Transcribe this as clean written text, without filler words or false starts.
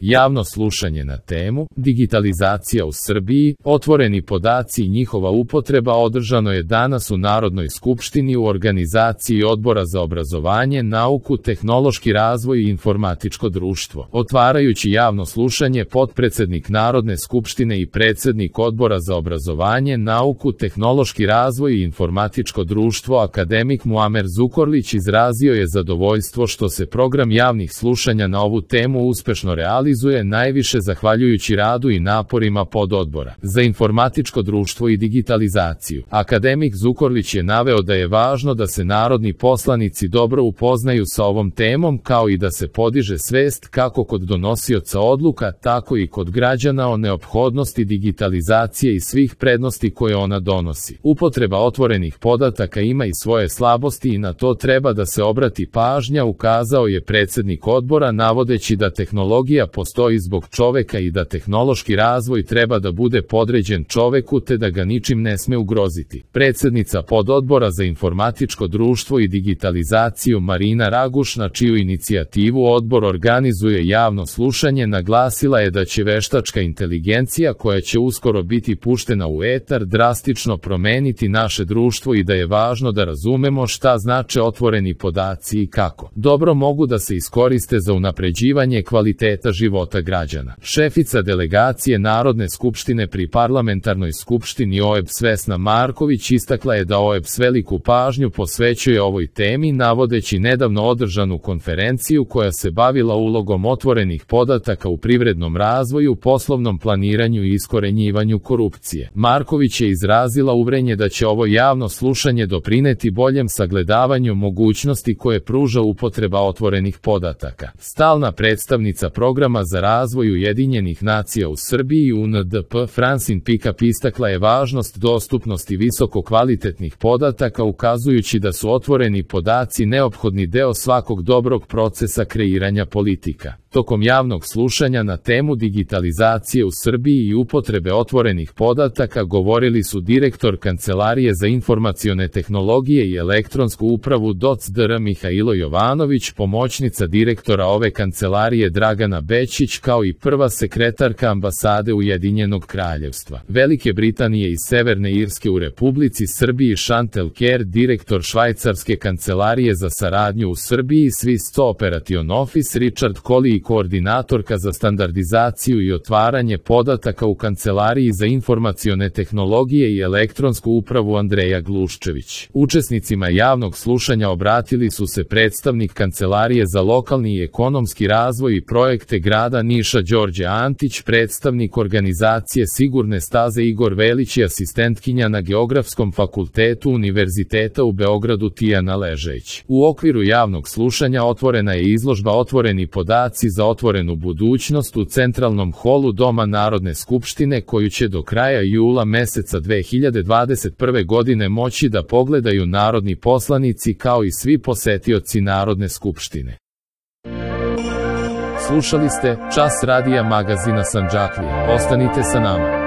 Javno slušanje na temu digitalizacija u Srbiji, otvoreni podaci i njihova upotreba održano je danas u Narodnoj skupštini u organizaciji Odbora za obrazovanje, nauku, tehnološki razvoj i informatičko društvo. Otvarajući javno slušanje, potpredsednik Narodne skupštine i predsednik Odbora za obrazovanje, nauku, tehnološki razvoj i informatičko društvo akademik Muamer Zukorlić izrazio je zadovoljstvo što se program javnih slušanja na ovu temu uspešno realizuje najviše zahvaljujući radu i naporima pododbora za informatičko društvo i digitalizaciju. Akademik Zukorlić je naveo da je važno da se narodni poslanici dobro upoznaju sa ovom temom, kao i da se podiže svest kako kod donosioca odluka, tako i kod građana o neophodnosti digitalizacije i svih prednosti koje ona donosi. Upotreba otvorenih podataka ima i svoje slabosti i na to treba da se obrati pažnja, ukazao je predsednik odbora, navodeći da tehnologija postoji zbog čoveka i da tehnološki razvoj treba da bude podređen čoveku te da ga ničim ne sme ugroziti. Predsednica pododbora za informatičko društvo i digitalizaciju Marina Raguš, na čiju inicijativu odbor organizuje javno slušanje, naglasila je da će veštačka inteligencija koja će uskoro biti puštena u etar drastično promeniti naše društvo i da je važno da razumemo šta znače otvoreni podaci i kako dobro mogu da se iskoriste za unapređivanje kvaliteta života građana. Šefica delegacije Narodne skupštine pri Parlamentarnoj skupštini OEBS Vesna Marković istakla je da OEBS veliku pažnju posvećuje ovoj temi, navodeći nedavno održanu konferenciju koja se bavila ulogom otvorenih podataka u privrednom razvoju, poslovnom planiranju i iskorenjivanju korupcije. Marković je izrazila uverenje da će ovo javno slušanje doprineti boljem sagledavanju mogućnosti koje pruža upotreba otvorenih podataka. Stalna predstavnica Programa za razvoj Ujedinjenih nacija u Srbiji UNDP Francine Pickup istakla je važnost dostupnosti visoko kvalitetnih podataka, ukazujući da su otvoreni podaci neophodni deo svakog dobrog procesa kreiranja politika. Tokom javnog slušanja na temu digitalizacije u Srbiji i upotrebe otvorenih podataka govorili su direktor Kancelarije za informacione tehnologije i elektronsku upravu Dr. Mihajlo Jovanović, pomoćnica direktora ove kancelarije Dragana Bećić, kao i prva sekretarka ambasade Ujedinjenog kraljevstva Velike Britanije i Severne Irske u Republici Srbiji Chantal Kerr, direktor švajcarske kancelarije za saradnju u Srbiji Swiss Operation Office Richard Colley i koordinatorka za standardizaciju i otvaranje podataka u Kancelariji za informacione tehnologije i elektronsku upravu Andreja Gluščević. Učesnicima javnog slušanja obratili su se predstavnik Kancelarije za lokalni i ekonomski razvoj i projekte grada Niša Đorđe Antić, predstavnik organizacije Sigurne staze Igor Velić i asistentkinja na Geografskom fakultetu Univerziteta u Beogradu Tijana Ležejić. U okviru javnog slušanja otvorena je izložba Otvoreni podaci za otvorenu budućnost u centralnom holu Doma Narodne skupštine, koju će do kraja jula meseca 2021. godine moći da pogledaju narodni poslanici kao i svi posetioci Narodne skupštine. Slušali ste Čas radija magazina Sandžaklija. Ostanite sa nama.